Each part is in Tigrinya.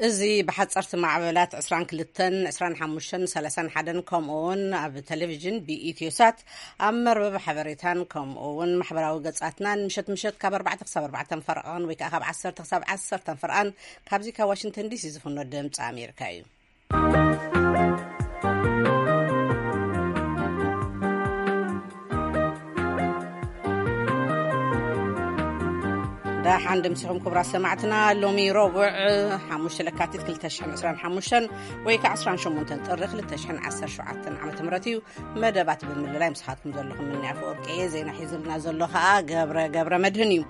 እዚ ብሓጸርቲ ማዕበላት ዕስራን ክልተን፣ ዕስራን ሓሙሽተን፣ ሰላሳን ሓደን፣ ከምኡ እውን ኣብ ቴሌቪዥን ብኢትዮሳት፣ ኣብ መርበብ ሓበሬታን ከምኡ እውን ማሕበራዊ ገጻትናን ምሸት ምሸት ካብ ኣርባዕተ ክሳብ ኣርባዕተ ፈርቓን ወይ ከዓ ካብ ዓሰርተ ክሳብ ዓሰርተ ፈርቓን ካብዚ ካብ ዋሽንግተን ዲሲ ዝፍኖ ድምፂ ኣሜሪካ እዩ። ደሓን ድምስኹም ክቡራት ሰማዕትና። ሎሚ ረቡዕ ሓሙሽተ ለካቲት ክልተ ሽሕን ዕስራን ሓሙሽተን ወይ ከዓ ዕስራን ሸሞንተን ጥሪ ክልተ ሽሕን ዓሰርተ ሸውዓተን ዓመተ ምህረት እዩ። መደባት ብምልላይ ምስኻትኩም ዘለኹም ምንያ ኣፈወርቂ እየ። ዜና ሒዙልና ዘሎ ከዓ ገብረ ገብረ መድህን እዩ።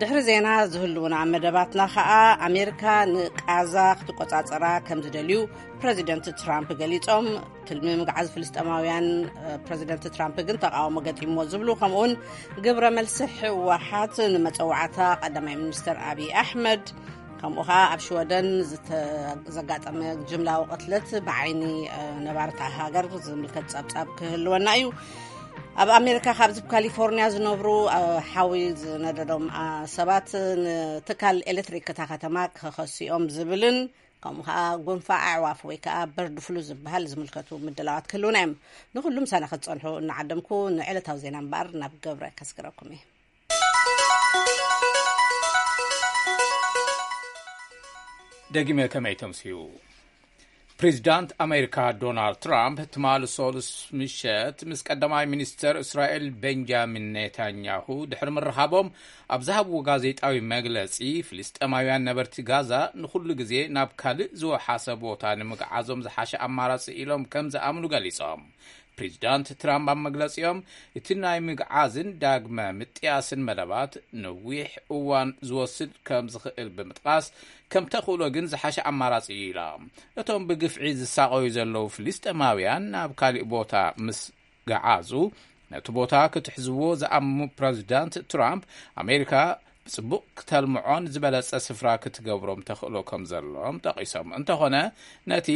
ድሕሪ ዜና ዝህልውና መደባትና ከዓ ኣሜሪካ ንቃዛ ክትቆጻጸራ ከም ዝደልዩ ፕረዚደንት ትራምፕ ገሊጾም፣ ትልሚ ምግዓዝ ፍልስጤማውያን ፕረዚደንት ትራምፕ ግን ተቃውሞ ገጢምዎ ዝብሉ፣ ከምኡውን ግብረ መልሲ ህወሓት ንመጸዋዕታ ቀዳማይ ሚኒስትር ኣብይ ኣሕመድ፣ ከምኡ ከዓ ኣብ ሽወደን ዘጋጠመ ጅምላዊ ቅትለት ብዓይኒ ነባርታ ሃገር ዝምልከት ጸብጻብ ክህልወና እዩ። ኣብ ኣሜሪካ ካብዚ ካሊፎርኒያ ዝነብሩ ሓዊ ዝነደዶም ሰባት ንትካል ኤሌክትሪክ እታ ከተማ ክኸስኦም ዝብልን ከምኡ ከዓ ጎንፋ ኣዕዋፍ ወይ ከዓ በርድ ፍሉ ዝበሃል ዝምልከቱ ምድላዋት ክህልውና እዮም። ንኩሉም ሳና ክትፀንሑ እናዓደምኩ ንዕለታዊ ዜና እምበኣር ናብ ገብረ ከስግረኩም እየ። ደጊመ ከመይ ተምስዩ? ፕሬዚዳንት ኣሜሪካ ዶናልድ ትራምፕ ትማሊ ሰሉስ ምሸት ምስ ቀዳማይ ሚኒስተር እስራኤል ቤንጃሚን ኔታንያሁ ድሕሪ ምርኻቦም ኣብ ዝሃብዎ ጋዜጣዊ መግለጺ፣ ፍልስጤማውያን ነበርቲ ጋዛ ንኹሉ ግዜ ናብ ካልእ ዝወሓሰ ቦታ ንምግዓዞም ዝሓሸ ኣማራጺ ኢሎም ከም ዝኣምኑ ገሊጾም። ፕሬዚዳንት ትራምፕ ኣብ መግለጺኦም፣ እቲ ናይ ምግዓዝን ዳግመ ምጥያስን መደባት ነዊሕ እዋን ዝወስድ ከም ዝኽእል ብምጥቃስ፣ ከም ተኽእሎ ግን ዝሓሸ ኣማራጺ እዩ ኢሎም። እቶም ብግፍዒ ዝሳቐዩ ዘለዉ ፍልስጤማውያን ናብ ካሊእ ቦታ ምስ ገዓዙ፣ ነቲ ቦታ ክትሕዝዎ ዝኣምሙ ፕረዚዳንት ትራምፕ፣ ኣሜሪካ ብጽቡቕ ክተልምዖን ዝበለጸ ስፍራ ክትገብሮም ተኽእሎ ከም ዘሎም ጠቒሶም። እንተኾነ፣ ነቲ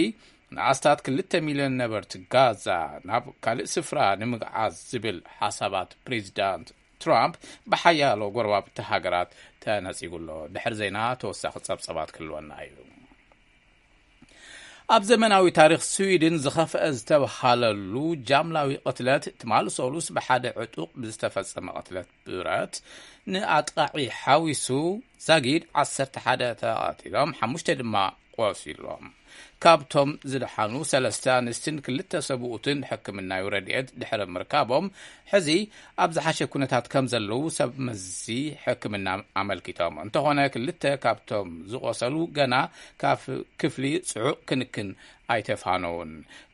ንኣስታት ክልተ ሚልዮን ነበርቲ ጋዛ ናብ ካልእ ስፍራ ንምግዓዝ ዝብል ሓሳባት ፕሬዚዳንት ትራምፕ ብሓያሎ ጎረባብቲ ሃገራት ተነጺጉ ኣሎ። ድሕሪ ዜና ተወሳኺ ጸብጸባት ክህልወና እዩ። ኣብ ዘመናዊ ታሪኽ ስዊድን ዝኸፍአ ዝተብሃለሉ ጃምላዊ ቅትለት ትማሊ ሰሉስ ብሓደ ዕጡቕ ብዝተፈጸመ ቅትለት ብረት ንኣጥቃዒ ሓዊሱ ዛጊድ ዓሰርተ ሓደ ተቐቲሎም፣ ሓሙሽተ ድማ ቆሲሎም። ካብቶም ዝደሓኑ ሰለስተ ኣንስትን ክልተ ሰብኡትን ሕክምናዊ ረድኤት ድሕሪ ምርካቦም፣ ሕዚ ኣብ ዝሓሸ ኩነታት ከም ዘለዉ ሰብ መዚ ሕክምና ኣመልኪቶም። እንተኾነ ክልተ ካብቶም ዝቆሰሉ ገና ካብ ክፍሊ ጽዑቕ ክንክን ኣይተፋነዉን።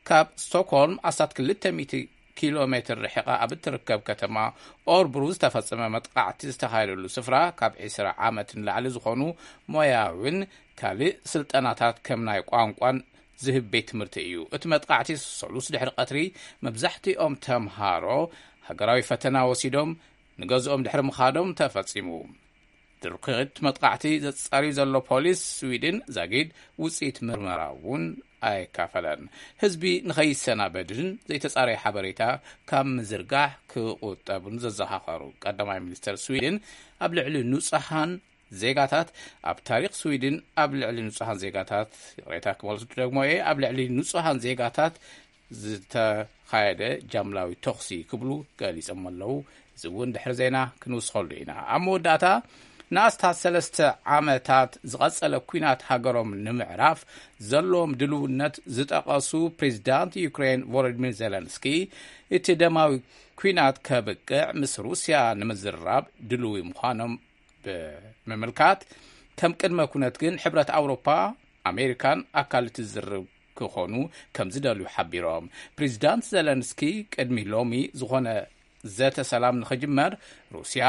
ካብ ስቶክሆልም ኣስታት ክልተ ሚእቲ ኪሎ ሜትር ርሒቓ ኣብ እትርከብ ከተማ ኦርብሩ ዝተፈጸመ መጥቃዕቲ ዝተኻየደሉ ስፍራ፣ ካብ ዕስራ ዓመት ንላዕሊ ዝኾኑ ሞያውን ካልእ ስልጠናታት ከም ናይ ቋንቋን ዝህብ ቤት ትምህርቲ እዩ። እቲ መጥቃዕቲ ሰሉስ ድሕሪ ቀትሪ መብዛሕትኦም ተምሃሮ ሃገራዊ ፈተና ወሲዶም ንገዝኦም ድሕሪ ምኻዶም ተፈጺሙ። ድርኺት መጥቃዕቲ ዘጻሪ ዘሎ ፖሊስ ስዊድን ዛጊድ ውጽኢት ምርመራ እውን ኣይካፈለን። ህዝቢ ንኸይሰናበድን ዘይተጻረየ ሓበሬታ ካብ ምዝርጋሕ ክቑጠብን ዘዘኻኸሩ ቀዳማይ ሚኒስተር ስዊድን፣ ኣብ ልዕሊ ንጹሃን ዜጋታት ኣብ ታሪኽ ስዊድን ኣብ ልዕሊ ንጹሃን ዜጋታት፣ ይቕሬታ ክመልሱ ደግሞ እየ፣ ኣብ ልዕሊ ንጹሃን ዜጋታት ዝተኻየደ ጃምላዊ ተኹሲ ክብሉ ገሊጾም ኣለዉ። እዚ እውን ድሕሪ ዜና ክንውስኸሉ ኢና። ኣብ መወዳእታ፣ ንኣስታት ሰለስተ ዓመታት ዝቐጸለ ኲናት ሃገሮም ንምዕራፍ ዘለዎም ድልውነት ዝጠቐሱ ፕሬዚዳንት ዩክሬን ቮሎዲሚር ዜለንስኪ፣ እቲ ደማዊ ኲናት ከብቅዕ ምስ ሩስያ ንምዝራብ ድልዊ ምዃኖም ብምምልካት፣ ከም ቅድመ ኩነት ግን ሕብረት ኣውሮፓ፣ ኣሜሪካን ኣካል እቲ ዝርርብ ክኾኑ ከም ዝደልዩ ሓቢሮም። ፕሬዚዳንት ዘለንስኪ ቅድሚ ሎሚ ዝኾነ ዘተ ሰላም ንኽጅመር፣ ሩስያ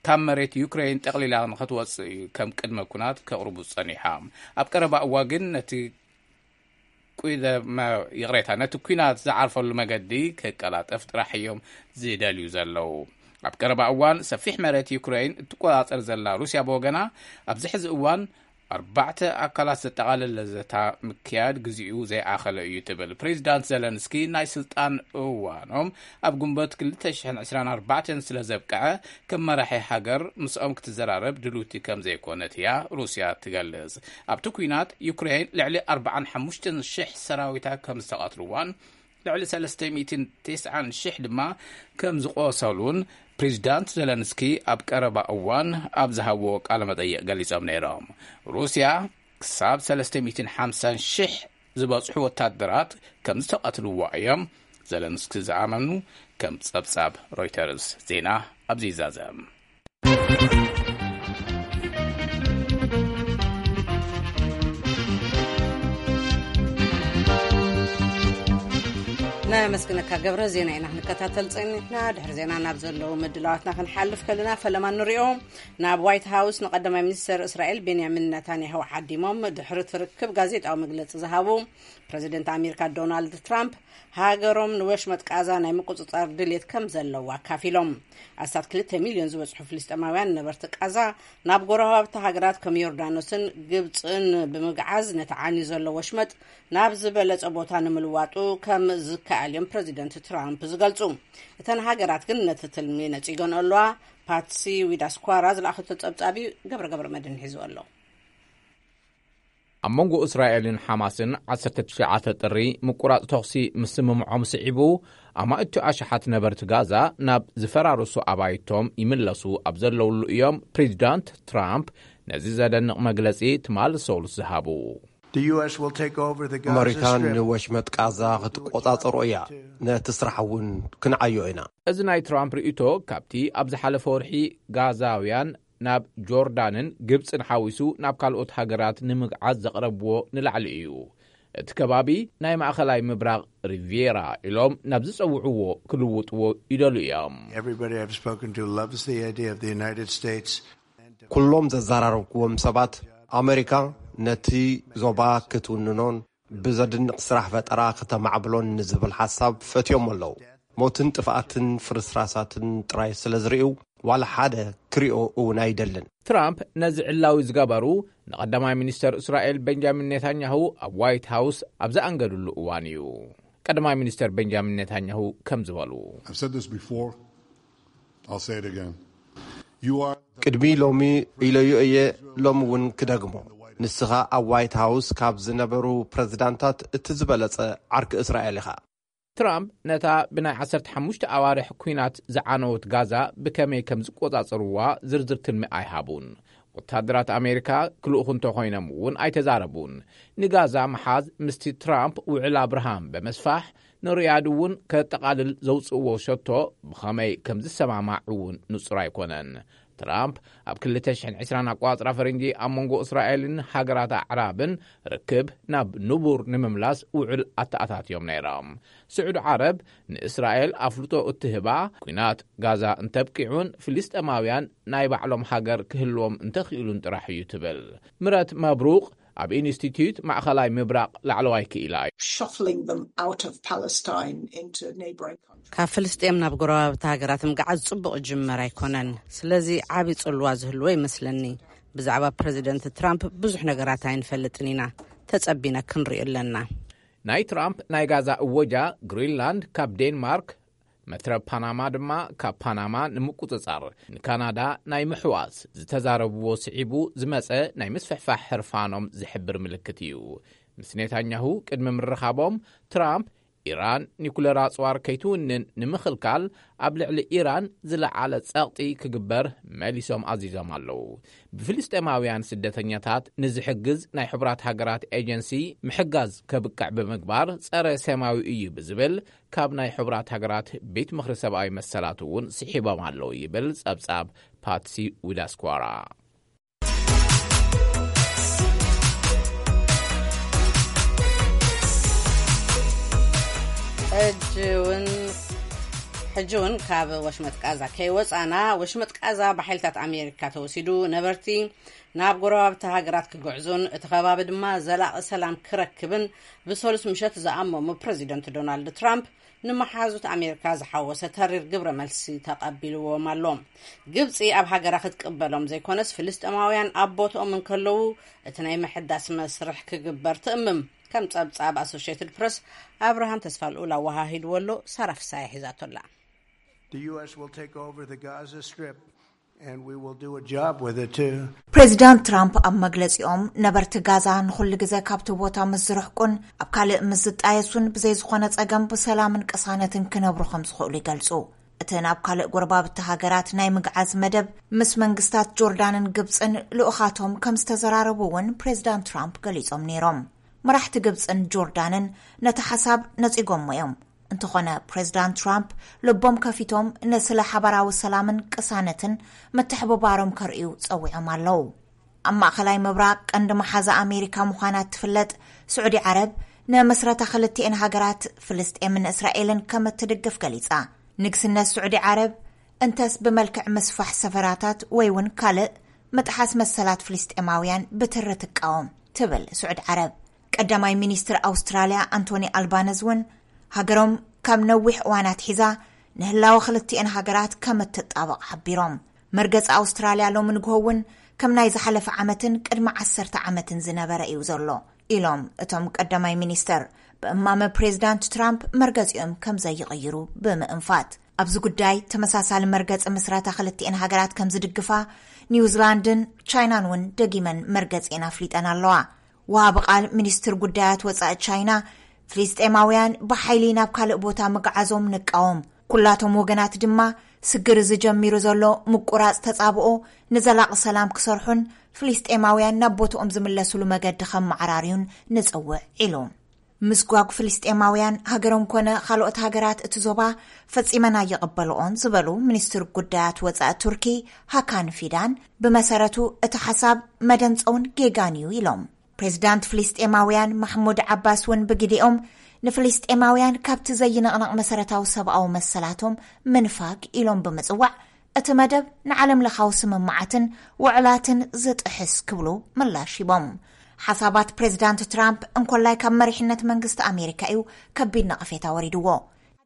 ካብ መሬት ዩክሬን ጠቕሊላ ንኽትወጽእ እዩ ከም ቅድመ ኩናት ከቕርቡ ጸኒሖም። ኣብ ቀረባ እዋ ግን ነቲ ቁደመ-፣ ይቕሬታ፣ ነቲ ኲናት ዝዓርፈሉ መገዲ ክቀላጠፍ ጥራሕ እዮም ዝደልዩ ዘለዉ። ኣብ ቀረባ እዋን ሰፊሕ መሬት ዩክሬን እትቆጻጸር ዘላ ሩስያ ብወገና፣ ኣብዚ ሕዚ እዋን ኣርባዕተ ኣካላት ዘጠቓለለ ዘታ ምክያድ ግዚኡ ዘይኣኸለ እዩ ትብል። ፕሬዚዳንት ዘለንስኪ ናይ ስልጣን እዋኖም ኣብ ግንቦት ክልተ ሽሕን ዕስራን ኣርባዕተን ስለ ዘብቅዐ፣ ከም መራሒ ሃገር ምስኦም ክትዘራረብ ድልውቲ ከም ዘይኮነት እያ ሩስያ ትገልጽ። ኣብቲ ኲናት ዩክሬን ልዕሊ ኣርባዓን ሓሙሽተን ሽሕ ሰራዊታ ከም ዝተቐትልዋን ልዕሊ ሰለስተ ሚእትን ተስዓን ሽሕ ድማ ከም ዝቖሰሉን ፕሬዚዳንት ዘለንስኪ ኣብ ቀረባ እዋን ኣብ ዝሃብዎ ቃለ መጠይቕ ገሊጾም ነይሮም። ሩስያ ክሳብ ሰለስተ ሚእትን ሓምሳን ሽሕ ዝበጽሑ ወታደራት ከም ዝተቐትልዋ እዮም ዘለንስኪ ዝኣመኑ፣ ከም ጸብጻብ ሮይተርስ ዜና ኣብዚ ይዛዘም። ነመስግነካ ገብረ። ዜና ኢና ክንከታተል ጸኒሕና። ድሕሪ ዜና ናብ ዘለዉ ምድላዋትና ክንሓልፍ ከለና፣ ፈለማ ንሪኦ። ናብ ዋይት ሃውስ ንቀዳማይ ሚኒስተር እስራኤል ቤንያሚን ነታንያሁ ዓዲሞም ድሕሪ ትርክብ ጋዜጣዊ መግለጺ ዝሃቡ ፕረዚደንት ኣሜሪካ ዶናልድ ትራምፕ፣ ሃገሮም ንወሽመጥ ቃዛ ናይ ምቁጽጻር ድሌት ከም ዘለዋ ኣካፊሎም። ኣስታት ክልተ ሚልዮን ዝበጽሑ ፍልስጤማውያን ነበርቲ ቃዛ ናብ ጎረባብቲ ሃገራት ከም ዮርዳኖስን ግብጽን ብምግዓዝ፣ ነቲ ዓንዩ ዘሎ ወሽመጥ ናብ ዝበለጸ ቦታ ንምልዋጡ ከም ዝከኣል እዮም ፕረዚደንት ትራምፕ ዝገልጹ። እተን ሃገራት ግን ነቲ ትልሚ ነጺገን ኣለዋ። ፓትሲ ዊዳስኳራ ዝለኣኸቶ ጸብጻብ እዩ፣ ገብረ ገብረ መድህን ሒዝዎ ኣሎ። ኣብ መንጎ እስራኤልን ሓማስን ዓሰርተ ትሽዓተ ጥሪ ምቁራጽ ተኹሲ ምስምምዖም ስዒቡ፣ ኣማእቱ ኣሽሓት ነበርቲ ጋዛ ናብ ዝፈራረሱ ኣባይቶም ይምለሱ ኣብ ዘለውሉ እዮም ፕሬዚዳንት ትራምፕ ነዚ ዘደንቕ መግለጺ ትማሊ ሰሉስ ዝሃቡ። The U S will take over the Gaza ኣመሪካ Strip ንወሽመጥ ቃዛ ክትቆጻጸሮ እያ። ነቲ ስራሕ እውን ክንዓዮ ኢና። እዚ ናይ ትራምፕ ርእይቶ ካብቲ ኣብ ዝሓለፈ ወርሒ ጋዛውያን ናብ ጆርዳንን ግብጽን ሓዊሱ ናብ ካልኦት ሃገራት ንምግዓዝ ዘቕረብዎ ንላዕሊ እዩ። እቲ ከባቢ ናይ ማእኸላይ ምብራቕ ሪቪየራ ኢሎም ናብ ዝጸውዕዎ ክልውጥዎ ይደሉ እዮም። Everybody I've spoken to loves the idea of the United States. ኩሎም ዘዘራረብክዎም ሰባት ኣመሪካ ነቲ ዞባ ክትውንኖን ብዘድንቕ ስራሕ ፈጠራ ክተማዕብሎን ንዝብል ሓሳብ ፈትዮም ኣለዉ። ሞትን ጥፍኣትን ፍርስራሳትን ጥራይ ስለ ዝርእዩ ዋላ ሓደ ክሪኦ እውን ኣይደልን። ትራምፕ ነዚ ዕላዊ ዝገበሩ ንቐዳማይ ሚኒስተር እስራኤል ቤንጃሚን ኔታንያሁ ኣብ ዋይት ሃውስ ኣብ ዝኣንገድሉ እዋን እዩ። ቀዳማይ ሚኒስተር ቤንጃሚን ኔታንያሁ ከም ዝበሉ፣ I've said this before. I'll say it again. You are ቅድሚ ሎሚ ኢለዮ እየ፣ ሎሚ እውን ክደግሞ። ንስኻ ኣብ ዋይት ሃውስ ካብ ዝነበሩ ፕረዚዳንታት እቲ ዝበለጸ ዓርኪ እስራኤል ኢኻ። ትራምፕ ነታ ብናይ ዓሰርተ ሓሙሽተ ኣዋርሕ ኲናት ዝዓነወት ጋዛ ብከመይ ከም ዝቆጻጸርዋ ዝርዝር ትልሚ ኣይሃቡን። ወታደራት ኣሜሪካ ክልእኹ እንተኾይኖም እውን ኣይተዛረቡን። ንጋዛ ምሓዝ ምስቲ ትራምፕ ውዕል ኣብርሃም ብምስፋሕ ንሪያድ እውን ከጠቓልል ዘውፅእዎ ሸቶ ብኸመይ ከም ዝሰማማዕ እውን ንጹር ኣይኮነን። ትራምፕ ኣብ ክልተ ሽሕን ዕስራን ኣቋጽራ ፈረንጂ ኣብ መንጎ እስራኤልን ሃገራት ኣዕራብን ርክብ ናብ ንቡር ንምምላስ ውዕል ኣተኣታትዮም ነይሮም። ስዑዲ ዓረብ ንእስራኤል ኣፍልጦ እትህባ፣ ኲናት ጋዛ እንተብቂዑን ፍልስጤማውያን ናይ ባዕሎም ሃገር ክህልዎም እንተኽኢሉን ጥራሕ እዩ ትብል። ምረት መብሩቕ ኣብ ኢንስቲትዩት ማእኸላይ ምብራቕ ላዕለዋይ ክኢላ እዩ። Shuffling them out of Palestine into neighboring countries. ካብ ፍልስጤም ናብ ጎረባብቲ ሃገራት ምግዓዝ ጽቡቕ ጅመር ኣይኮነን። ስለዚ ዓቢ ጽልዋ ዝህልዎ ይመስለኒ። ብዛዕባ ፕረዚደንት ትራምፕ ብዙሕ ነገራት ኣይንፈልጥን ኢና። ተጸቢና ክንሪኦ ኣለና። ናይ ትራምፕ ናይ ጋዛ እወጃ ግሪንላንድ ካብ ዴንማርክ፣ መትረብ ፓናማ ድማ ካብ ፓናማ ንምቁጽጻር፣ ንካናዳ ናይ ምሕዋስ ዝተዛረብዎ ስዒቡ ዝመጸ ናይ ምስፍሕፋሕ ሕርፋኖም ዝሕብር ምልክት እዩ። ምስ ኔታንያሁ ቅድሚ ምርኻቦም ትራምፕ ኢራን ኒኩለር ኣጽዋር ከይትውንን ንምኽልካል ኣብ ልዕሊ ኢራን ዝለዓለ ጸቕጢ ክግበር መሊሶም ኣዚዞም ኣለዉ። ብፍልስጤማውያን ስደተኛታት ንዝሕግዝ ናይ ሕቡራት ሃገራት ኤጀንሲ ምሕጋዝ ከብቅዕ ብምግባር ጸረ ሰማዊ እዩ ብዝብል ካብ ናይ ሕቡራት ሃገራት ቤት ምኽሪ ሰብኣዊ መሰላት እውን ስሒቦም ኣለዉ ይብል ጸብጻብ ፓትሲ ዊዳስኳራ። ሕጂ እውን ሕጂ እውን ካብ ወሽመጥ ቃዛ ከይወፃና፣ ወሽመጥ ቃዛ ብሓይልታት ኣሜሪካ ተወሲዱ፣ ነበርቲ ናብ ጎረባብቲ ሃገራት ክግዕዙን እቲ ከባቢ ድማ ዘላቒ ሰላም ክረክብን ብሰሉስ ምሸት ዝኣመሙ ፕረዚደንት ዶናልድ ትራምፕ፣ ንመሓዙት ኣሜሪካ ዝሓወሰ ተሪር ግብረ መልሲ ተቐቢልዎም ኣሎ። ግብፂ ኣብ ሃገራ ክትቅበሎም ዘይኮነስ፣ ፍልስጤማውያን ኣብ ቦትኦም እንከለዉ እቲ ናይ ምሕዳስ መስርሕ ክግበር ትእምም። ከም ጸብጻብ ኣሶሽየትድ ፕረስ፣ ኣብርሃም ተስፋልኡል ኣወሃሂድዎ ኣሎ። ሳራ ፍሳሐ ሒዛቶላ። The U S will take over the Gaza Strip, and we will do a job with it too. ፕሬዚዳንት ትራምፕ ኣብ መግለጺኦም፣ ነበርቲ ጋዛ ንኹሉ ግዜ ካብቲ ቦታ ምስ ዝርሕቁን ኣብ ካልእ ምስ ዝጣየሱን፣ ብዘይ ዝኾነ ጸገም ብሰላምን ቅሳነትን ክነብሩ ከም ዝኽእሉ ይገልጹ። እቲ ናብ ካልእ ጎረባብቲ ሃገራት ናይ ምግዓዝ መደብ፣ ምስ መንግስታት ጆርዳንን ግብጽን ልኡኻቶም ከም ዝተዘራረቡ እውን ፕሬዚዳንት ትራምፕ ገሊጾም ነይሮም። መራሕቲ ግብጽን ጆርዳንን ነቲ ሓሳብ ነጺጎሞ እዮም። እንተኾነ፣ ፕሬዚዳንት ትራምፕ ልቦም ከፊቶም ንስለ ሓባራዊ ሰላምን ቅሳነትን ምትሕብባሮም ከርእዩ ጸዊዖም ኣለዉ። ኣብ ማእኸላይ ምብራቕ ቀንዲ መሓዛ ኣሜሪካ ምዃና እትፍለጥ ስዑዲ ዓረብ፣ ንመስረታ ክልቲኤን ሃገራት ፍልስጤምን እስራኤልን ከም እትድግፍ ገሊጻ። ንግስነት ስዑዲ ዓረብ፣ እንተስ ብመልክዕ ምስፋሕ ሰፈራታት ወይ እውን ካልእ ምጥሓስ መሰላት ፍልስጤማውያን ብትሪ ትቃወም ትብል ስዑዲ ዓረብ። ቀዳማይ ሚኒስትር ኣውስትራልያ ኣንቶኒ ኣልባነዝ እውን፣ ሃገሮም ካብ ነዊሕ እዋን ኣትሒዛ ንህላወ ክልቲኤን ሃገራት ከም እትጣበቕ ሓቢሮም። መርገጺ ኣውስትራልያ ሎሚ ንግሆ እውን ከም ናይ ዝሓለፈ ዓመትን ቅድሚ ዓሰርተ ዓመትን ዝነበረ እዩ ዘሎ ኢሎም እቶም ቀዳማይ ሚኒስተር፣ ብእማመ ፕሬዚዳንት ትራምፕ መርገጺኦም ከም ዘይቕይሩ ብምእንፋት። ኣብዚ ጉዳይ ተመሳሳሊ መርገጺ ምስረታ ክልቲኤን ሃገራት ከም ዝድግፋ ኒውዚላንድን ቻይናን እውን ደጊመን መርገጺኤን ኣፍሊጠን ኣለዋ። ወሃቢ ቃል ሚኒስትር ጉዳያት ወጻኢ ቻይና፣ ፍልስጤማውያን ብሓይሊ ናብ ካልእ ቦታ ምግዓዞም ንቃወም፣ ኩላቶም ወገናት ድማ ስግር ዝጀሚሩ ዘሎ ምቁራጽ ተጻብኦ ንዘላቒ ሰላም ክሰርሑን ፍልስጤማውያን ናብ ቦትኦም ዝምለስሉ መገዲ ከመዓራርዩን ንጽውዕ ኢሉ። ምስጓግ ፍልስጤማውያን ሃገሮም ኮነ ካልኦት ሃገራት እቲ ዞባ ፈጺመን ኣይቕበልኦን ዝበሉ ሚኒስትር ጉዳያት ወጻኢ ቱርኪ ሃካን ፊዳን፣ ብመሰረቱ እቲ ሓሳብ መደንጸውን ጌጋን እዩ ኢሎም። ፕሬዚዳንት ፍልስጤማውያን ማሕሙድ ዓባስ እውን ብግዲኦም፣ ንፍልስጤማውያን ካብቲ ዘይንቕነቕ መሰረታዊ ሰብኣዊ መሰላቶም ምንፋግ ኢሎም ብምጽዋዕ፣ እቲ መደብ ንዓለም ለኻዊ ስምምዓትን ውዕላትን ዝጥሕስ ክብሉ ምላሽ ሂቦም። ሓሳባት ፕሬዚዳንት ትራምፕ እንኮላይ ካብ መሪሕነት መንግስቲ ኣሜሪካ እዩ ከቢድ ነቐፌታ ወሪድዎ።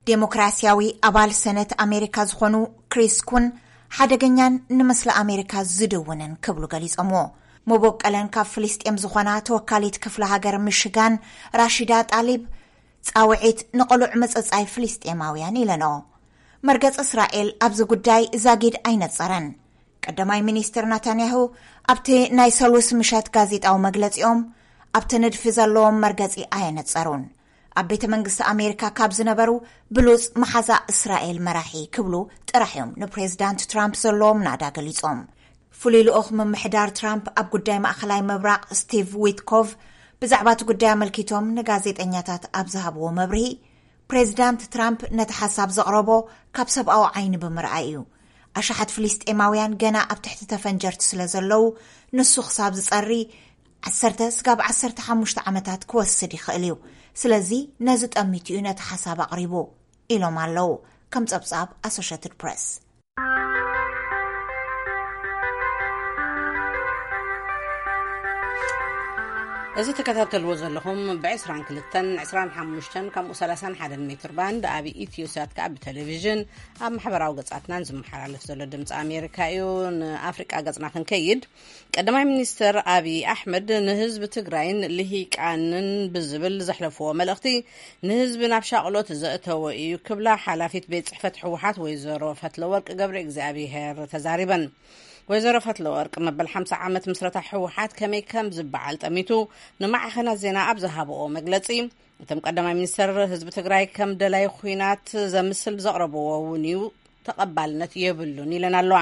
ዴሞክራሲያዊ ኣባል ሰነት ኣሜሪካ ዝኾኑ ክሪስ ኩን፣ ሓደገኛን ንምስሊ ኣሜሪካ ዝድውንን ክብሉ ገሊጾምዎ። መበቆለን ካብ ፍልስጤም ዝኾና ተወካሊት ክፍለ ሃገር ሚሽጋን ራሺዳ ጣሊብ፣ ጻውዒት ንቕሉዕ ምጽጻይ ፍልስጤማውያን ኢለንኦ። መርገጺ እስራኤል ኣብዚ ጉዳይ ዛጊድ ኣይነጸረን። ቀዳማይ ሚኒስትር ናታንያሁ ኣብቲ ናይ ሰሉስ ምሸት ጋዜጣዊ መግለጺኦም፣ ኣብቲ ንድፊ ዘለዎም መርገጺ ኣየነጸሩን። ኣብ ቤተ መንግስቲ ኣሜሪካ ካብ ዝነበሩ ብሉጽ መሓዛ እስራኤል መራሒ ክብሉ ጥራሕ እዮም ንፕሬዚዳንት ትራምፕ ዘለዎም ናዳ ገሊጾም። ፍሉይ ልኡኽ ምምሕዳር ትራምፕ ኣብ ጉዳይ ማእኸላይ ምብራቕ ስቲቭ ዊትኮቭ ብዛዕባ እቲ ጉዳይ ኣመልኪቶም ንጋዜጠኛታት ኣብ ዝሃብዎ መብርሂ፣ ፕሬዚዳንት ትራምፕ ነቲ ሓሳብ ዘቕረቦ ካብ ሰብኣዊ ዓይኒ ብምርኣይ እዩ። ኣሽሓት ፍልስጤማውያን ገና ኣብ ትሕቲ ተፈንጀርቲ ስለ ዘለዉ፣ ንሱ ክሳብ ዝጸሪ ዓሰርተ ስጋብ ዓሰርተ ሓሙሽተ ዓመታት ክወስድ ይኽእል እዩ። ስለዚ ነዚ ጠሚቱ እዩ ነቲ ሓሳብ ኣቕሪቡ ኢሎም ኣለዉ፣ ከም ጸብጻብ ኣሶሽትድ ፕረስ። እዚ ተከታተልዎ ዘለኹም ብ22፣ 25 ከምኡ 31 ሜትር ባንድ ኣብ ኢትዮ ሳት ከኣ ብቴሌቪዥን ኣብ ማሕበራዊ ገጻትናን ዝመሓላለፍ ዘሎ ድምፂ ኣሜሪካ እዩ። ንኣፍሪቃ ገጽና ክንከይድ፣ ቀዳማይ ሚኒስትር ኣብይ ኣሕመድ ንህዝቢ ትግራይን ልሂቃንን ብዝብል ዘሕለፍዎ መልእኽቲ፣ ንህዝቢ ናብ ሻቕሎት ዘእተወ እዩ ክብላ ሓላፊት ቤት ጽሕፈት ህወሓት ወይዘሮ ፈትለወርቅ ገብረ እግዚኣብሔር ተዛሪበን። ወይዘሮ ፈትለወርቅ መበል ሓምሳ ዓመት ምስረታ ህወሓት ከመይ ከም ዝበዓል ጠሚቱ ንማዕኸናት ዜና ኣብ ዝሃብኦ መግለጺ፣ እቶም ቀዳማይ ሚኒስትር ህዝቢ ትግራይ ከም ደላይ ኹናት ዘምስል ዘቕረብዎ እውን እዩ፣ ተቐባልነት የብሉን ኢለን ኣለዋ።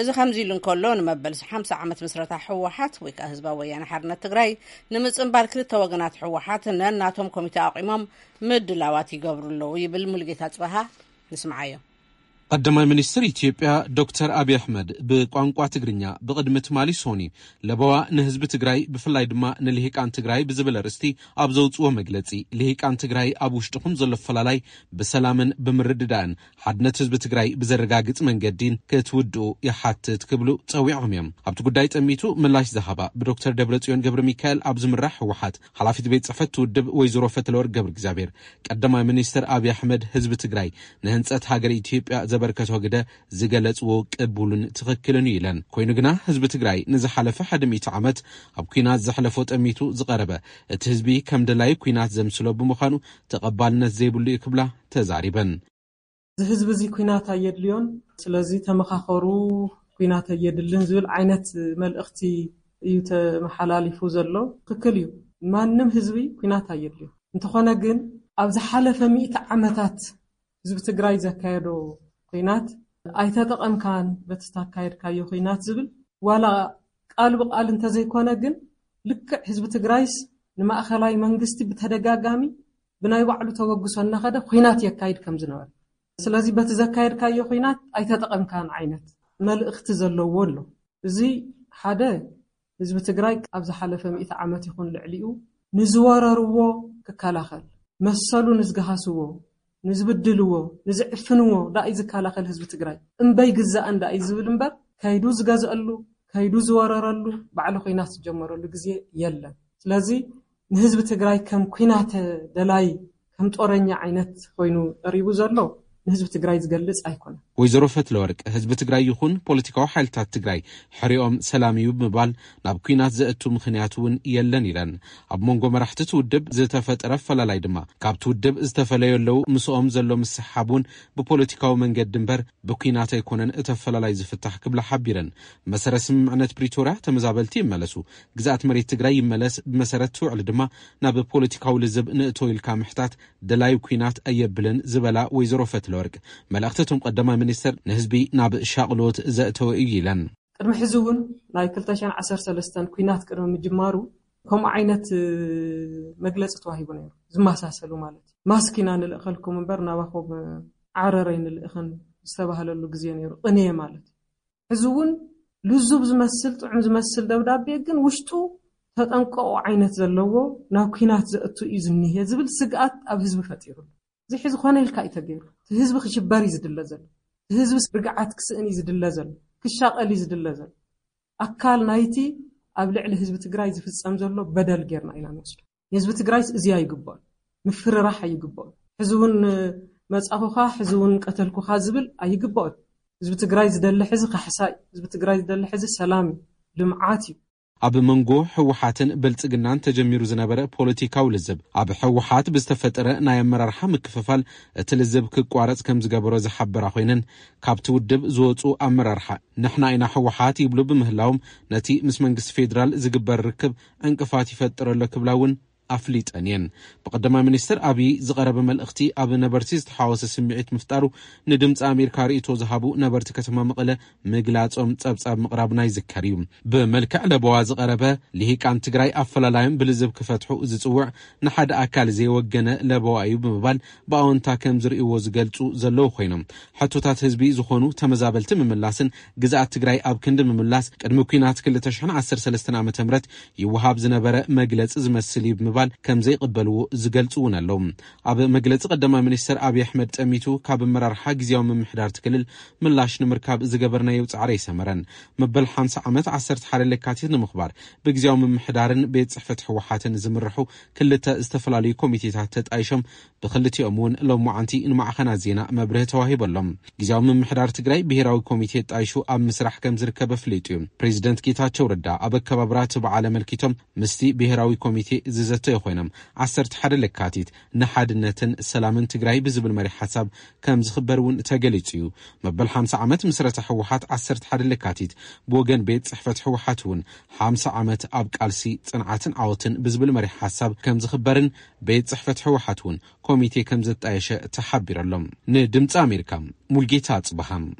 እዚ ከምዚ ኢሉ እንከሎ፣ ንመበል ሓምሳ ዓመት ምስረታ ህወሓት ወይ ከዓ ህዝባዊ ወያነ ሓርነት ትግራይ ንምጽንባል ክልተ ወገናት ህወሓት ነናቶም ኮሚቴ ኣቑሞም ምድላዋት ይገብሩ ኣለዉ ይብል ሙሉጌታ ጽበሃ። ንስምዓዮ። ቀዳማይ ሚኒስትር ኢትዮጵያ ዶክተር ኣብይ ኣሕመድ ብቋንቋ ትግርኛ ብቕድሚ ትማሊ ሶኒ ለበዋ ንህዝቢ ትግራይ፣ ብፍላይ ድማ ንልሂቃን ትግራይ ብዝብል ኣርእስቲ ኣብ ዘውፅዎ መግለፂ፣ ልሂቃን ትግራይ ኣብ ውሽጥኹም ዘሎ ፈላላይ ብሰላምን ብምርድዳእን ሓድነት ህዝቢ ትግራይ ብዘረጋግፅ መንገዲን ክትውድኡ ይሓትት ክብሉ ፀዊዖም እዮም። ኣብቲ ጉዳይ ጠሚቱ ምላሽ ዝሃባ ብዶክተር ደብረፅዮን ገብረ ሚካኤል ኣብ ዝምራሕ ህወሓት ሓላፊት ቤት ፅሕፈት ውድብ ወይዘሮ ፈትለወርቅ ገብረ እግዚኣብሔር፣ ቀዳማይ ሚኒስትር ኣብይ ኣሕመድ ህዝቢ ትግራይ ንህንፀት ሃገር ኢትዮጵያ ዘበርከቶ ግደ ዝገለጽዎ ቅቡልን ትኽክልን እዩ ኢለን። ኮይኑ ግና ህዝቢ ትግራይ ንዝሓለፈ ሓደ ሚእቲ ዓመት ኣብ ኲናት ዘሕለፎ ጠሚቱ ዝቐረበ፣ እቲ ህዝቢ ከም ደላይ ኲናት ዘምስሎ ብምዃኑ ተቐባልነት ዘይብሉ እዩ ክብላ ተዛሪበን። እዚ ህዝቢ እዚ ኲናት ኣየድልዮን፣ ስለዚ ተመኻኸሩ፣ ኲናት ኣየድልን ዝብል ዓይነት መልእኽቲ እዩ ተመሓላሊፉ ዘሎ። ትኽክል እዩ፣ ማንም ህዝቢ ኲናት ኣየድልዮ። እንተኾነ ግን ኣብ ዝሓለፈ ሚእቲ ዓመታት ህዝቢ ትግራይ ዘካየዶ ኲናት ኣይተጠቐምካን በቲ ዝተካየድካዮ ኲናት ዝብል ዋላ ቃል ብቃል እንተዘይኮነ ግን ልክዕ ህዝቢ ትግራይስ ንማእኸላይ መንግስቲ ብተደጋጋሚ ብናይ ባዕሉ ተበግሶ እናኸደ ኲናት የካይድ ከም ዝነበረ፣ ስለዚ በቲ ዘካየድካዮ ኲናት ኣይተጠቐምካን ዓይነት መልእኽቲ ዘለዎ ኣሎ። እዚ ሓደ ህዝቢ ትግራይ ኣብ ዝሓለፈ ሚእቲ ዓመት ይኹን ልዕሊኡ ንዝወረርዎ ክከላኸል፣ መሰሉ ንዝገሃስዎ፣ ንዝብድልዎ፣ ንዝዕፍንዎ ዳኣ እዩ ዝከላኸል ህዝቢ ትግራይ። እምበይ ግዛእን ዳኣ እዩ ዝብል እምበር ከይዱ ዝገዝአሉ፣ ከይዱ ዝወረረሉ፣ ባዕሉ ኲናት ዝጀመረሉ ግዜ የለን። ስለዚ ንህዝቢ ትግራይ ከም ኲናት ደላይ ከም ጦረኛ ዓይነት ኮይኑ ቀሪቡ ዘሎ ንህዝቢ ትግራይ ዝገልፅ ኣይኮነን። ወይዘሮ ፈትለወርቅ፣ ህዝቢ ትግራይ ይኹን ፖለቲካዊ ሓይልታት ትግራይ ሕሪኦም ሰላም እዩ ብምባል ናብ ኲናት ዘእቱ ምኽንያት እውን የለን ኢለን። ኣብ መንጎ መራሕቲ እቲ ውድብ ዝተፈጠረ ኣፈላላይ ድማ ካብቲ ውድብ ዝተፈለዩ ኣለዉ፣ ምስኦም ዘሎ ምስሕሓብ እውን ብፖለቲካዊ መንገዲ እምበር ብኲናት ኣይኮነን እቲ ኣፈላላይ ዝፍታሕ ክብላ ሓቢረን። ብመሰረት ስምምዕነት ፕሪቶርያ ተመዛበልቲ ይመለሱ፣ ግዝኣት መሬት ትግራይ ይመለስ፣ ብመሰረት እቲ ውዕሊ ድማ ናብ ፖለቲካዊ ልዝብ ንእቶ ኢልካ ምሕታት ደላዩ ኲናት ኣየብልን ዝበላ ወይዘሮ ፈትለወርቅ፣ መልእኽቲ እቶም ቀዳማይ ሚኒስትር ንህዝቢ ናብ ሻቕሎት ዘእተወ እዩ ኢለን። ቅድሚ ሕዚ እውን ናይ ክልተ ሽሕን ዓሰርተ ሰለስተን ኲናት ቅድሚ ምጅማሩ ከምኡ ዓይነት መግለፂ ተዋሂቡ ነይሩ፣ ዝመሳሰሉ ማለት እዩ። ማስክ ኢና ንልእኸልኩም እምበር ናባኹም ዓረር ኣይንልእኽን ዝተባህለሉ ግዜ ነይሩ፣ ቅንየ ማለት እዩ። ሕዚ እውን ልዙብ ዝመስል፣ ጥዑም ዝመስል ደብዳቤ ግን ውሽጡ ተጠንቀቑ ዓይነት ዘለዎ፣ ናብ ኲናት ዘእቱ እዩ ዝኒሄ ዝብል ስግኣት ኣብ ህዝቢ ፈጢሩ ኣሎ። እዚ ሕዚ ኮነ ኢልካ እዩ ተገይሩ። እቲ ህዝቢ ክሽበር እዩ ዝድለ ዘሎ። እቲ ህዝቢ ርግዓት ክስእን እዩ ዝድለ ዘሎ። ክሻቐል እዩ ዝድለ ዘሎ። ኣካል ናይቲ ኣብ ልዕሊ ህዝቢ ትግራይ ዝፍጸም ዘሎ በደል ጌርና ኢና ንወስዶ። ንህዝቢ ትግራይስ እዚ ኣይግባኦን። ምፍርራሕ ኣይግባኦን። ሕዚ እውን መጻኹኻ፣ ሕዚ እውን ቀተልኩኻ ዝብል ኣይግባኦን። ህዝቢ ትግራይ ዝደሊ ሕዚ ካሕሳ እዩ። ህዝቢ ትግራይ ዝደሊ ሕዚ ሰላም እዩ፣ ልምዓት እዩ። ኣብ መንጎ ህወሓትን ብልጽግናን ተጀሚሩ ዝነበረ ፖለቲካዊ ልዝብ፣ ኣብ ህወሓት ብዝተፈጠረ ናይ ኣመራርሓ ምክፍፋል እቲ ልዝብ ክቋረጽ ከም ዝገበሮ ዝሓበራ ኮይነን፣ ካብቲ ውድብ ዝወጹ ኣመራርሓ ንሕና ኢና ህወሓት ይብሉ ብምህላዎም፣ ነቲ ምስ መንግስቲ ፌደራል ዝግበር ርክብ ዕንቅፋት ይፈጥር ኣሎ ክብላ እውን ኣፍሊጠን እየን። ብቀዳማይ ሚኒስትር ኣብይ ዝቐረበ መልእኽቲ ኣብ ነበርቲ ዝተሓወሰ ስምዒት ምፍጣሩ ንድምፂ ኣሜሪካ ርእይቶ ዝሃቡ ነበርቲ ከተማ መቐለ ምግላፆም ፀብፃብ ምቕራብና ይዝከር እዩ። ብመልክዕ ለበዋ ዝቐረበ፣ ልሂቃን ትግራይ ኣፈላላዮም ብልዝብ ክፈትሑ ዝፅውዕ፣ ንሓደ ኣካል ዘይወገነ ለበዋ እዩ ብምባል ብኣወንታ ከም ዝርእይዎ ዝገልፁ ዘለዉ ኮይኖም፣ ሕቶታት ህዝቢ ዝኾኑ ተመዛበልቲ ምምላስን ግዝኣት ትግራይ ኣብ ክንዲ ምምላስ፣ ቅድሚ ኲናት ክልተ ሽሕን ዓሰርተ ሰለስተን ዓመተ ምህረት ይወሃብ ዝነበረ መግለፂ ዝመስል እዩ ብምባል ከም ዘይቕበልዎ ዝገልፁ እውን ኣለዉ። ኣብ መግለፂ ቀዳማይ ሚኒስትር ኣብይ ኣሕመድ ጠሚቱ፣ ካብ ኣመራርሓ ግዝያዊ ምምሕዳር እቲ ክልል ምላሽ ንምርካብ ዝገበርናዮ ፃዕሪ ኣይሰመረን። መበል ሓምሳ ዓመት ዓሰርተ ሓደ ለካቲት ንምኽባር ብግዝያዊ ምምሕዳርን ቤት ፅሕፈት ህወሓትን ዝምርሑ ክልተ ዝተፈላለዩ ኮሚቴታት ተጣይሾም ብክልቲኦም እውን ሎማዓንቲ ንማዕኸናት ዜና መብርሂ ተዋሂበሎም። ግዝያዊ ምምሕዳር ትግራይ ብሄራዊ ኮሚቴ ጣይሹ ኣብ ምስራሕ ከም ዝርከብ ኣፍሊጡ እዩ። ፕሬዚደንት ጌታቸው ረዳ ኣብ ኣከባብራ እቲ በዓል ኣመልኪቶም ምስቲ ብሄራዊ ኮሚቴ ዝዘተዩ ኮይኖም፣ ዓሰርተ ሓደ ለካቲት ንሓድነትን ሰላምን ትግራይ ብዝብል መሪሕ ሓሳብ ከም ዝኽበር እውን ተገሊጹ እዩ። መበል ሓምሳ ዓመት ምስረታ ህወሓት ዓሰርተ ሓደ ለካቲት ብወገን ቤት ጽሕፈት ህወሓት እውን ሓምሳ ዓመት ኣብ ቃልሲ ጽንዓትን ዓወትን ብዝብል መሪሕ ሓሳብ ከም ዝኽበርን ቤት ጽሕፈት ህወሓት እውን ኮሚቴ ከም ዘጣየሸ ተሓቢሩ ኣሎ። ንድምፂ ኣሜሪካ ሙልጌታ ኣጽብሃ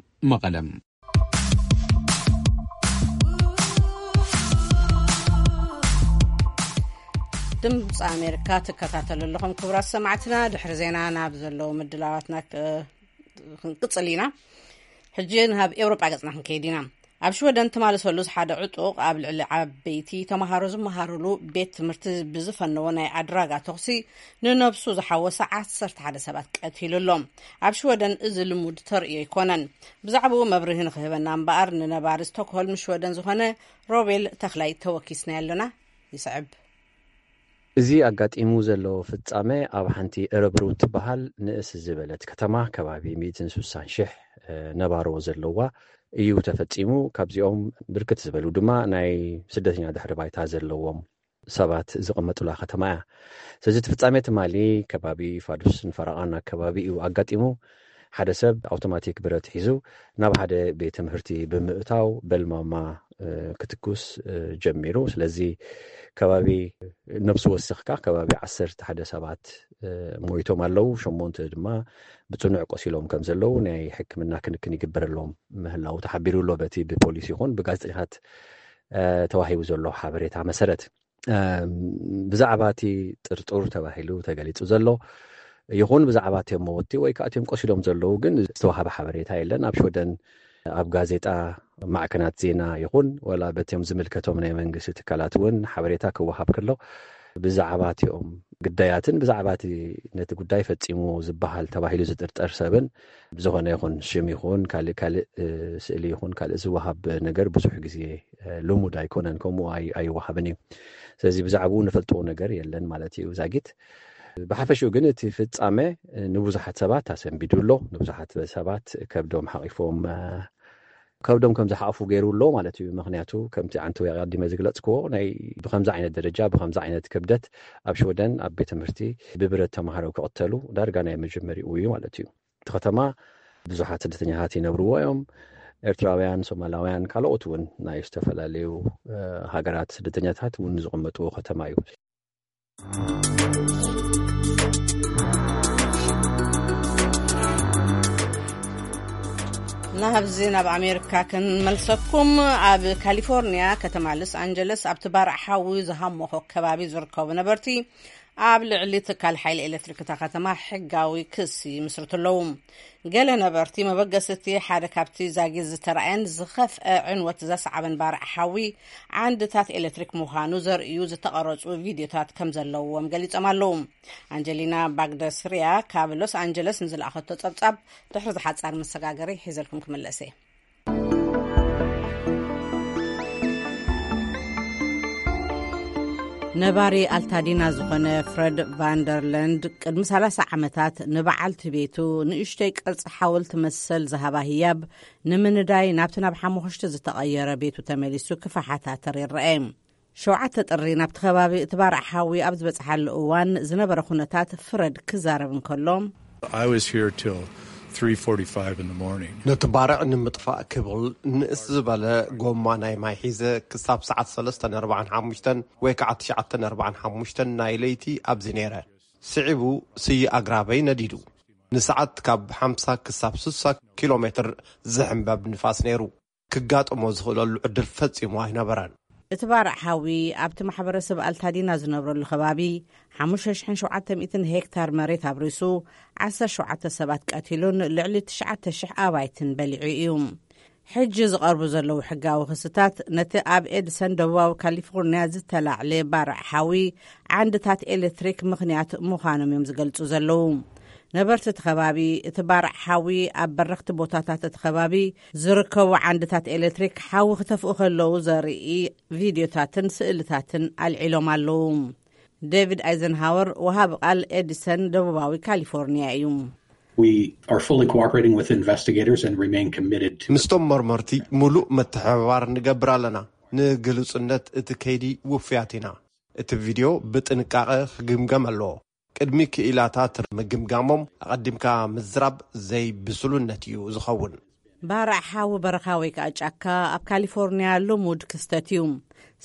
መቐለ። ድምፂ ኣሜሪካ ትከታተሉ ኣለኹም ክቡራት ሰማዕትና። ድሕሪ ዜና ናብ ዘለዉ ምድላዋትና ክ- ክንቅጽል ኢና። ሕጂ ናብ ኤውሮጳ ገጽና ክንከይድ ኢና። ኣብ ሽወደን ትማሊ ሰሉስ ሓደ ዕጡቕ ኣብ ልዕሊ ዓበይቲ ተምሃሮ ዝመሃሩሉ ቤት ትምህርቲ ብዝፈነዎ ናይ ኣድራጋ ተኹሲ ንነብሱ ዝሓወሰ ዓሰርተ ሓደ ሰባት ቀቲሉ ኣሎ። ኣብ ሽወደን እዚ ልሙድ ተርእዮ ኣይኮነን። ብዛዕባኡ መብርሂ ንክህበና እምበኣር ንነባሪ ስቶክሆልም ሽወደን ዝኾነ ሮቤል ተኽላይ ተወኪስና ኣለና። ይስዕብ። እዚ ኣጋጢሙ ዘሎ ፍጻመ ኣብ ሓንቲ እረብሩ ትበሃል ንእስ ዝበለት ከተማ ከባቢ ሚእትን ስሳን ሽሕ ነባሮ ዘለዋ እዩ ተፈጺሙ። ካብዚኦም ብርክት ዝበሉ ድማ ናይ ስደተኛ ድሕሪ ባይታ ዘለዎም ሰባት ዝቕመጡላ ከተማ እያ። ስለዚ እቲ ፍጻሜ ትማሊ ከባቢ ፋዱስን ፈረቓን ኣከባቢ እዩ ኣጋጢሙ። ሓደ ሰብ ኣውቶማቲክ ብረት ሒዙ ናብ ሓደ ቤት ትምህርቲ ብምእታው በልማማ ክትኩስ ጀሚሩ። ስለዚ ከባቢ ነብሲ ወሰኽካ ከባቢ ዓሰርተ ሓደ ሰባት ሞይቶም ኣለዉ። ሸሞንተ ድማ ብጽኑዕ ቆሲሎም ከም ዘለዉ ናይ ሕክምና ክንክን ይግበረሎም ምህላዉ ተሓቢሩ ኣሎ። በቲ ብፖሊስ ይኹን ብጋዜጠኛታት ተዋሂቡ ዘሎ ሓበሬታ መሰረት ብዛዕባ እቲ ጥርጡር ተባሂሉ ተገሊጹ ዘሎ ይኹን ብዛዕባ እቲኦም መወቲ ወይ ከዓ እቲኦም ቆሲሎም ዘለዉ ግን ዝተዋሃበ ሓበሬታ የለን። ኣብ ሽወደን ኣብ ጋዜጣ ማዕከናት ዜና ይኹን ወላ በቲኦም ዝምልከቶም ናይ መንግስቲ ትካላት እውን ሓበሬታ ክወሃብ ከሎ ብዛዕባ እቲኦም ግዳያትን ብዛዕባ እቲ ነቲ ጉዳይ ፈጺሙ ዝበሃል ተባሂሉ ዝጥርጠር ሰብን ብዝኾነ ይኹን ሽም ይኹን ካልእ ካልእ ስእሊ ይኹን ካልእ ዝወሃብ ነገር ብዙሕ ግዜ ልሙድ ኣይኮነን፣ ከምኡ ኣይወሃብን እዩ። ስለዚ ብዛዕባኡ ንፈልጥዎ ነገር የለን ማለት እዩ ዛጊት። ብሓፈሽኡ ግን እቲ ፍጻመ ንብዙሓት ሰባት ኣሰንቢዱ ኣሎ። ንብዙሓት ሰባት ከብዶም ሓቒፎም ከብዶም ከም ዝሓቑፉ ገይሩ ኣሎ ማለት እዩ። ምክንያቱ ከምቲ ዓንተወይ ኣቐዲመ ዝግለጽክዎ ናይ ብከምዚ ዓይነት ደረጃ ብከምዚ ዓይነት ክብደት ኣብ ሽወደን ኣብ ቤት ትምህርቲ ብብረት ተማሃሮ ክቕተሉ ዳርጋ ናይ መጀመሪኡ እዩ ማለት እዩ። እቲ ከተማ ብዙሓት ስደተኛታት ይነብርዎ እዮም። ኤርትራውያን፣ ሶማላውያን፣ ካልኦት እውን ናይ ዝተፈላለዩ ሃገራት ስደተኛታት እውን ዝቕመጥዎ ከተማ እዩ። ናብዚ ናብ ኣሜሪካ ክንመልሰኩም። ኣብ ካሊፎርኒያ ከተማ ሎስ ኣንጀለስ ኣብቲ ባርዕ ሓዊ ዝሃመኾ ከባቢ ዝርከቡ ነበርቲ ኣብ ልዕሊ ትካል ሓይሊ ኤሌክትሪክ እታ ከተማ ሕጋዊ ክሲ ይምስርቱ ኣለዉ። ገለ ነበርቲ መበገሲ እቲ ሓደ ካብቲ ዛጊት ዝተራእየን ዝኸፍአ ዕንወት ዘስዓበን ባርዕ ሓዊ ዓንድታት ኤሌክትሪክ ምዃኑ ዘርእዩ ዝተቐረጹ ቪድዮታት ከም ዘለዎም ገሊጾም ኣለዉ። ኣንጀሊና ባግደስርያ ካብ ሎስ ኣንጀለስ ንዝለኣኸቶ ጸብጻብ ድሕሪ ዝሓጻር መሰጋገሪ ሒዘልኩም ክምለስ እየ። ነባሪ ኣልታዲና ዝኾነ ፍረድ ቫንደርለንድ ቅድሚ ሰላሳ ዓመታት ንበዓልቲ ቤቱ ንእሽቶይ ቅርጺ ሓወልቲ መሰል ዝሃባ ህያብ ንምንዳይ ናብቲ ናብ ሓሙኽሽቲ ዝተቐየረ ቤቱ ተመሊሱ ክፈሓታተር ይረአ። ሸውዓተ ጥሪ ናብቲ ከባቢ እቲ ባርዕ ሓዊ ኣብ ዝበጽሓሉ እዋን ዝነበረ ኩነታት ፍረድ ክዛረብ እንከሎ፣ I was here till three forty-five in the morning. ነቲ ባርዕ ንምጥፋእ ክብል ንእስ ዝበለ ጎማ ናይ ማይ ሒዘ ክሳብ ሰዓት ሰለስተ ኣርባዓን ሓሙሽተን ወይ ከዓ ትሽዓተ ኣርባዓን ሓሙሽተን ናይ ለይቲ ኣብዚ ነይረ። ስዒቡ ስየ ኣግራበይ ነዲዱ። ንሰዓት ካብ ሓምሳ ክሳብ ስሳ ኪሎ ሜትር ዝሕንበብ ንፋስ ነይሩ። ክጋጥሞ ዝኽእለሉ ዕድል ፈጺሙ ኣይነበረን። እቲ ባርዕ ሓዊ ኣብቲ ማሕበረሰብ ኣልታዲና ዝነብረሉ ከባቢ ሓሙሽተ ሽሕን ሸውዓተ ሚእትን ሄክታር መሬት ኣብሪሱ ዓሰርተ ሸውዓተ ሰባት ቀቲሉን ልዕሊ ትሽዓተ ሽሕ ኣባይትን በሊዑ እዩ። ሕጂ ዝቐርቡ ዘለዉ ሕጋዊ ክስታት ነቲ ኣብ ኤድሰን ደቡባዊ ካሊፎርኒያ ዝተላዕለ ባርዕ ሓዊ ዓንድታት ኤሌክትሪክ ምኽንያት ምዃኖም እዮም ዝገልጹ ዘለዉ። ነበርቲ እቲ ከባቢ እቲ ባርዕ ሓዊ ኣብ በረኽቲ ቦታታት እቲ ከባቢ ዝርከቡ ዓንድታት ኤሌክትሪክ ሓዊ ክተፍኡ ከለዉ ዘርኢ ቪድዮታትን ስእልታትን ኣልዒሎም ኣለዉ። ዴቪድ ኣይዘንሃወር ወሃቢ ቃል ኤዲሰን ደቡባዊ ካሊፎርኒያ እዩ። We are fully cooperating with investigators and remain committed to ምስቶም መርመርቲ ሙሉእ ምትሕብባር ንገብር ኣለና። ንግሉጽነት እቲ ከይዲ ውፍያት ኢና። እቲ ቪድዮ ብጥንቃቐ ክግምገም ኣለዎ። ቅድሚ ክኢላታት ምግምጋሞም ኣቐዲምካ ምዝራብ ዘይብስሉነት እዩ ዝኸውን። ባርዕ ሓዊ በረኻ ወይ ከዓ ጫካ ኣብ ካሊፎርኒያ ልሙድ ክስተት እዩ።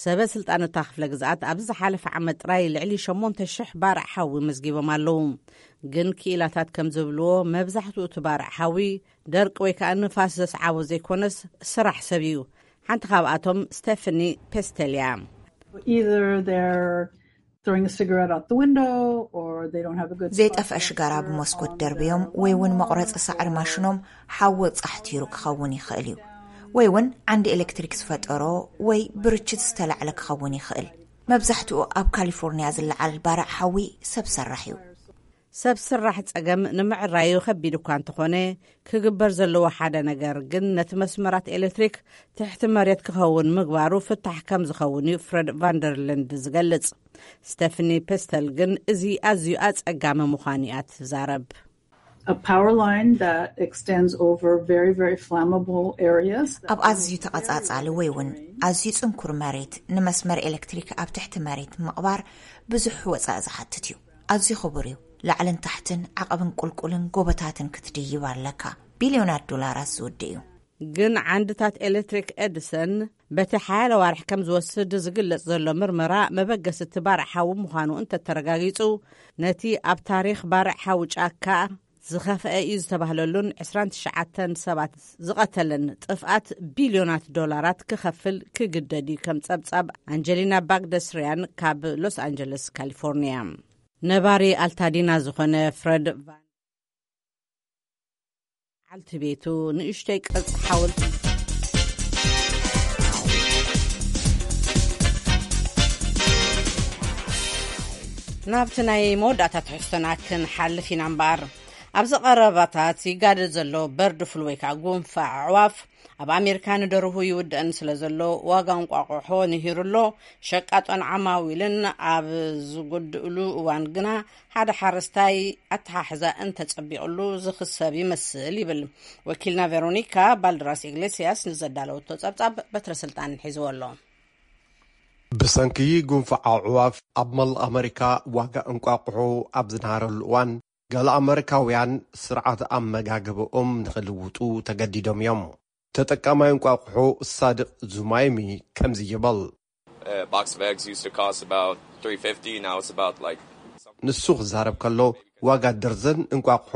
ሰበ ስልጣን እታ ክፍለ ግዝኣት ኣብዚ ዝሓለፈ ዓመት ጥራይ ልዕሊ ሸሞንተ ሽሕ ባርዕ ሓዊ መዝጊቦም ኣለዉ። ግን ክኢላታት ከም ዝብልዎ መብዛሕትኡ እቲ ባርዕ ሓዊ ደርቂ ወይ ከዓ ንፋስ ዘስዓቦ ዘይኮነስ ስራሕ ሰብ እዩ። ሓንቲ ካብኣቶም ስቴፈኒ ፔስተል እያ። Either they're throwing a cigarette out the window, or they don't have a good spot ዘይጠፍአ to ሽጋራ ብመስኮት ደርብዮም ወይ እውን መቑረፂ ሳዕሪ ማሽኖም ሓዊ ፃሕቲሩ ክኸውን ይኽእል እዩ። ወይ እውን ዓንዲ ኤሌክትሪክ ዝፈጠሮ ወይ ብርችት ዝተላዕለ ክኸውን ይኽእል። መብዛሕትኡ ኣብ ካሊፎርኒያ ዝለዓል ባርዕ ሓዊ ሰብ ሰራሕ እዩ። ሰብ ስራሕ ጸገም ንምዕራዩ ከቢድ እኳ እንተኾነ፣ ክግበር ዘለዎ ሓደ ነገር ግን ነቲ መስመራት ኤሌክትሪክ ትሕቲ መሬት ክኸውን ምግባሩ ፍታሕ ከም ዝኸውን እዩ ፍረድ ቫንደርለንድ ዝገልጽ። ስቴፍኒ ፔስተል ግን እዚ ኣዝዩ ኣጸጋሚ ምዃኑ እያ ትዛረብ። A power line that extends over very, very flammable areas. ኣብ ኣዝዩ ተቐጻጻሊ ወይ እውን ኣዝዩ ጽንኩር መሬት ንመስመር ኤሌክትሪክ ኣብ ትሕቲ መሬት ምቕባር ብዙሕ ወጻኢ ዝሓትት እዩ። ኣዝዩ ክቡር እዩ። ላዕልን ታሕትን ዓቐብን ቁልቁልን ጎቦታትን ክትድይብ ኣለካ። ቢልዮናት ዶላራት ዝውድ እዩ። ግን ዓንድታት ኤሌክትሪክ ኤድሰን በቲ ሓያለ ዋርሕ ከም ዝወስድ ዝግለጽ ዘሎ ምርመራ መበገሲ እቲ ባርዕ ሓዊ ምዃኑ እንተተረጋጊጹ፣ ነቲ ኣብ ታሪኽ ባርዕ ሓዊ ጫካ ዝኸፍአ እዩ ዝተባህለሉን ዕስራን ትሽዓተን ሰባት ዝቐተለን ጥፍኣት ቢልዮናት ዶላራት ክኸፍል ክግደድ እዩ። ከም ጸብጻብ ኣንጀሊና ባግደስርያን ካብ ሎስ ኣንጀለስ ካሊፎርኒያ። ነባሪ ኣልታዲና ዝኾነ ፍረድ ቫን ዓልቲ ቤቱ ንእሽተይ ቅርጺ ሓወልቲ። ናብቲ ናይ መወዳእታ ትሕዝቶና ክንሓልፍ ኢና እምበኣር፣ ኣብዚ ቀረባታት ይጋደድ ዘሎ በርድ ፍሉ ወይ ከዓ ጉንፋዕ ኣዕዋፍ ኣብ ኣሜሪካ ንደርሁ ይውድእን ስለ ዘሎ ዋጋ እንቋቑሖ ንሂሩ ኣሎ። ሸቃጦን ዓማዊልን ኣብ ዝጎድእሉ እዋን ግና ሓደ ሓረስታይ ኣተሓሕዛ እንተጸቢቕሉ ዝኽሰብ ይመስል ይብል። ወኪልና ቬሮኒካ ባልድራስ ኢግሌስያስ ንዘዳለወቶ ጸብጻብ በትረ ስልጣን ሒዝዎ ኣሎ። ብሰንኪ ጉንፋዕ ኣዕዋፍ ኣብ መላእ ኣመሪካ ዋጋ እንቋቑሖ ኣብ ዝነሃረሉ እዋን፣ ገለ ኣመሪካውያን ስርዓት ኣመጋግብኦም ንኽልውጡ ተገዲዶም እዮም። ተጠቃማይ እንቋቑሖ ሳድቕ ዙማይሚ ከምዚ ይብል። A box of eggs used to cost about three fifty. Now it's about like ንሱ ክዛረብ ከሎ፣ ዋጋ ደርዘን እንቋቑሖ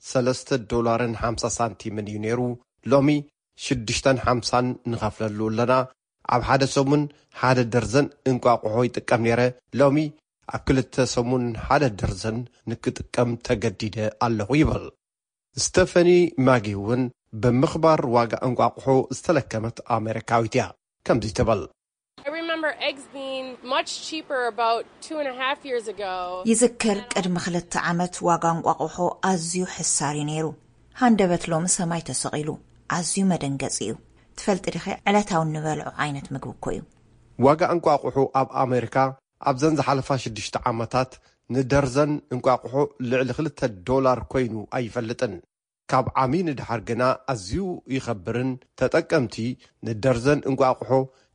ሰለስተ ዶላርን ሓምሳ ሳንቲምን እዩ ነይሩ። ሎሚ ሽዱሽተን ሓምሳን ንኸፍለሉ ኣለና። ኣብ ሓደ ሰሙን ሓደ ደርዘን እንቋቑሖ ይጥቀም ነይረ። ሎሚ ኣብ ክልተ ሰሙን ሓደ ደርዘን ንክጥቀም ተገዲደ ኣለኹ ይብል። ስተፈኒ ማጊ እውን ብምኽባር ዋጋ እንቋቑሖ ዝተለከመት ኣሜሪካዊት እያ። ከምዚ ትብል። I remember eggs being much cheaper about two and a half years ago. ይዝክር፣ ቅድሚ ክልተ ዓመት ዋጋ እንቋቑሖ ኣዝዩ ሕሳር እዩ ነይሩ። ሃንደበት ሎሚ ሰማይ ተሰቒሉ። ኣዝዩ መደንገጺ እዩ። ትፈልጢ ዲኺ፣ ዕለታዊ እንበልዖ ዓይነት ምግቢ እኮ እዩ። ዋጋ እንቋቑሖ ኣብ ኣሜሪካ ኣብዘን ዝሓለፋ ሽዱሽተ ዓመታት ንደርዘን እንቋቑሖ ልዕሊ ክልተ ዶላር ኮይኑ ኣይፈልጥን። ካብ ዓሚ ንድሓር ግና ኣዝዩ ይኸብርን ተጠቀምቲ ንደርዘን እንቋቑሖ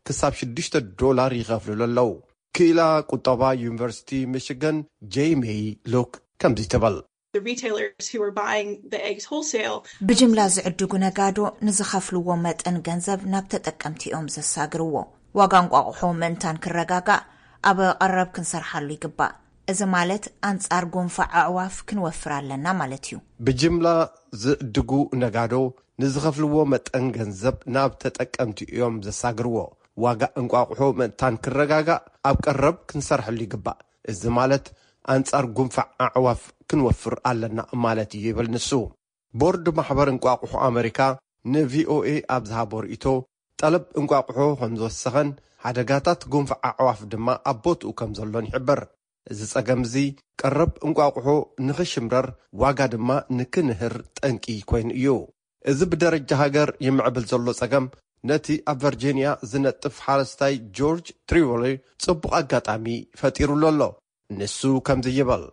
ክሳብ ሽዱሽተ ዶላር ይኸፍልሉ ኣለዉ። ክኢላ ቁጠባ ዩኒቨርሲቲ ሚሽገን ጄይ ሜይ ሉክ ከምዚ ትብል። The retailers who are buying the eggs wholesale. ብጅምላ ዝዕድጉ ነጋዶ ንዝኸፍልዎ መጠን ገንዘብ ናብ ተጠቀምቲ እዮም ዘሳግርዎ። ዋጋ እንቋቑሖ ምእንታን ክረጋጋእ ኣብ ቀረብ ክንሰርሓሉ ይግባእ። እዚ ማለት ኣንጻር ጉንፋዕ ኣዕዋፍ ክንወፍር ኣለና ማለት እዩ። ብጅምላ ዝዕድጉ ነጋዶ ንዝኸፍልዎ መጠን ገንዘብ ናብ ተጠቀምቲ እዮም ዘሳግርዎ። ዋጋ እንቋቑሖ ምእንታን ክረጋጋእ ኣብ ቀረብ ክንሰርሐሉ ይግባእ። እዚ ማለት ኣንጻር ጉንፋዕ ኣዕዋፍ ክንወፍር ኣለና ማለት እዩ ይብል ንሱ። ቦርድ ማሕበር እንቋቑሖ ኣመሪካ ንቪኦኤ ኣብ ዝሃቦ ርእይቶ፣ ጠለብ እንቋቑሖ ከም ዝወሰኸን ሓደጋታት ጉንፋዕ ኣዕዋፍ ድማ ኣብ ቦትኡ ከም ዘሎን ይሕብር። እዚ ጸገም እዚ ቀረብ እንቋቑሖ ንኽሽምረር ዋጋ ድማ ንክንህር ጠንቂ ኮይኑ እዩ። እዚ ብደረጃ ሃገር ይምዕብል ዘሎ ጸገም ነቲ ኣብ ቨርጂንያ ዝነጥፍ ሓረስታይ ጆርጅ ትሪቮሊ ጽቡቕ ኣጋጣሚ ፈጢሩሉ ኣሎ። ንሱ ከምዚ ይብል።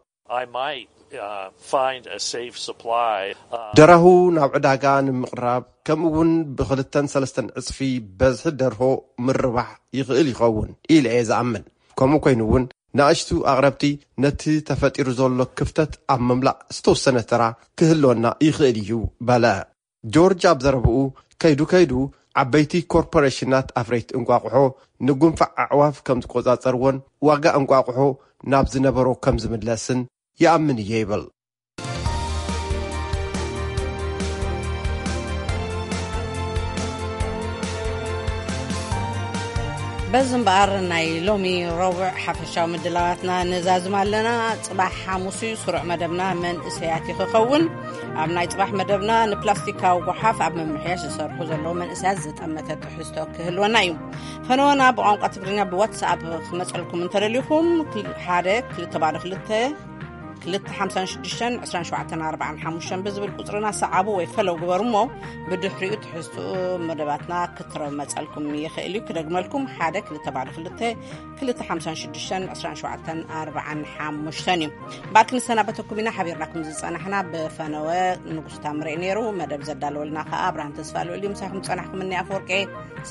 I might uh, find a safe supply. Uh, ደራሁ ናብ ዕዳጋ ንምቕራብ ከምኡ እውን ብኽልተን ሰለስተን ዕጽፊ በዝሒ ደርሆ ምርባሕ ይኽእል ይኸውን ኢለ እየ ዝኣምን። ከምኡ ኮይኑ እውን ንኣሽቱ ኣቕረብቲ ነቲ ተፈጢሩ ዘሎ ክፍተት ኣብ ምምላእ ዝተወሰነ ተራ ክህልወና ይኽእል እዩ በለ። ጆርጅ ኣብ ዘረብኡ፣ ከይዱ ከይዱ ዓበይቲ ኮርፖሬሽናት ኣፍረይቲ እንቋቑሖ ንጉንፋዕ ኣዕዋፍ ከም ዝቆጻጸርዎን ዋጋ እንቋቑሖ ናብ ዝነበሮ ከም ዝምለስን ይኣምን እየ ይብል። በዚ እምበኣር ናይ ሎሚ ረቡዕ ሓፈሻዊ ምድላዋትና ነዛዝም ኣለና። ጽባሕ ሓሙስ እዩ፣ ስሩዕ መደብና መንእሰያት እዩ ክኸውን። ኣብ ናይ ጽባሕ መደብና ንፕላስቲካዊ ጓሓፍ ኣብ ምምሕያሽ ዝሰርሑ ዘለዉ መንእሰያት ዝጠመተ ትሕዝቶ ክህልወና እዩ። ፈነወና ብቋንቋ ትግርኛ ብዋትስኣፕ ክመጸልኩም እንተደሊኹም፣ ክል-፣ ሓደ ክልተ ባዶ ክልተ ክልተ ሓምሳን ሽዱሽተን ዕስራን ሸውዓተን ኣርባዓን ሓሙሽተን ብዝብል ቁጽርና ሰዓቡ ወይ ፈለው ግበሩ እሞ፣ ብድሕሪኡ ትሕዝትኡ መደባትና ክትረመጸልኩም ይኽእል እዩ። ክደግመልኩም፣ ሓደ ክልተ ባዶ ክልተ ክልተ ሓምሳን ሽዱሽተን ዕስራን ሸውዓተን ኣርባዓን ሓሙሽተን እዩ። ባር ክንሰናበተኩም ኢና። ሓቢርናኩም ዝጸናሕና ብፈነወ ንጉስ ታምሬ ነይሩ። መደብ ዘዳለወልና ከኣ ኣብርሃም ተስፋ ልዑል እዩ። ምሳኹም ጸናሕኩም እኒ ኣፈወርቄ።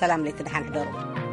ሰላም ለይቲ፣ ደሓን ሕደሩ።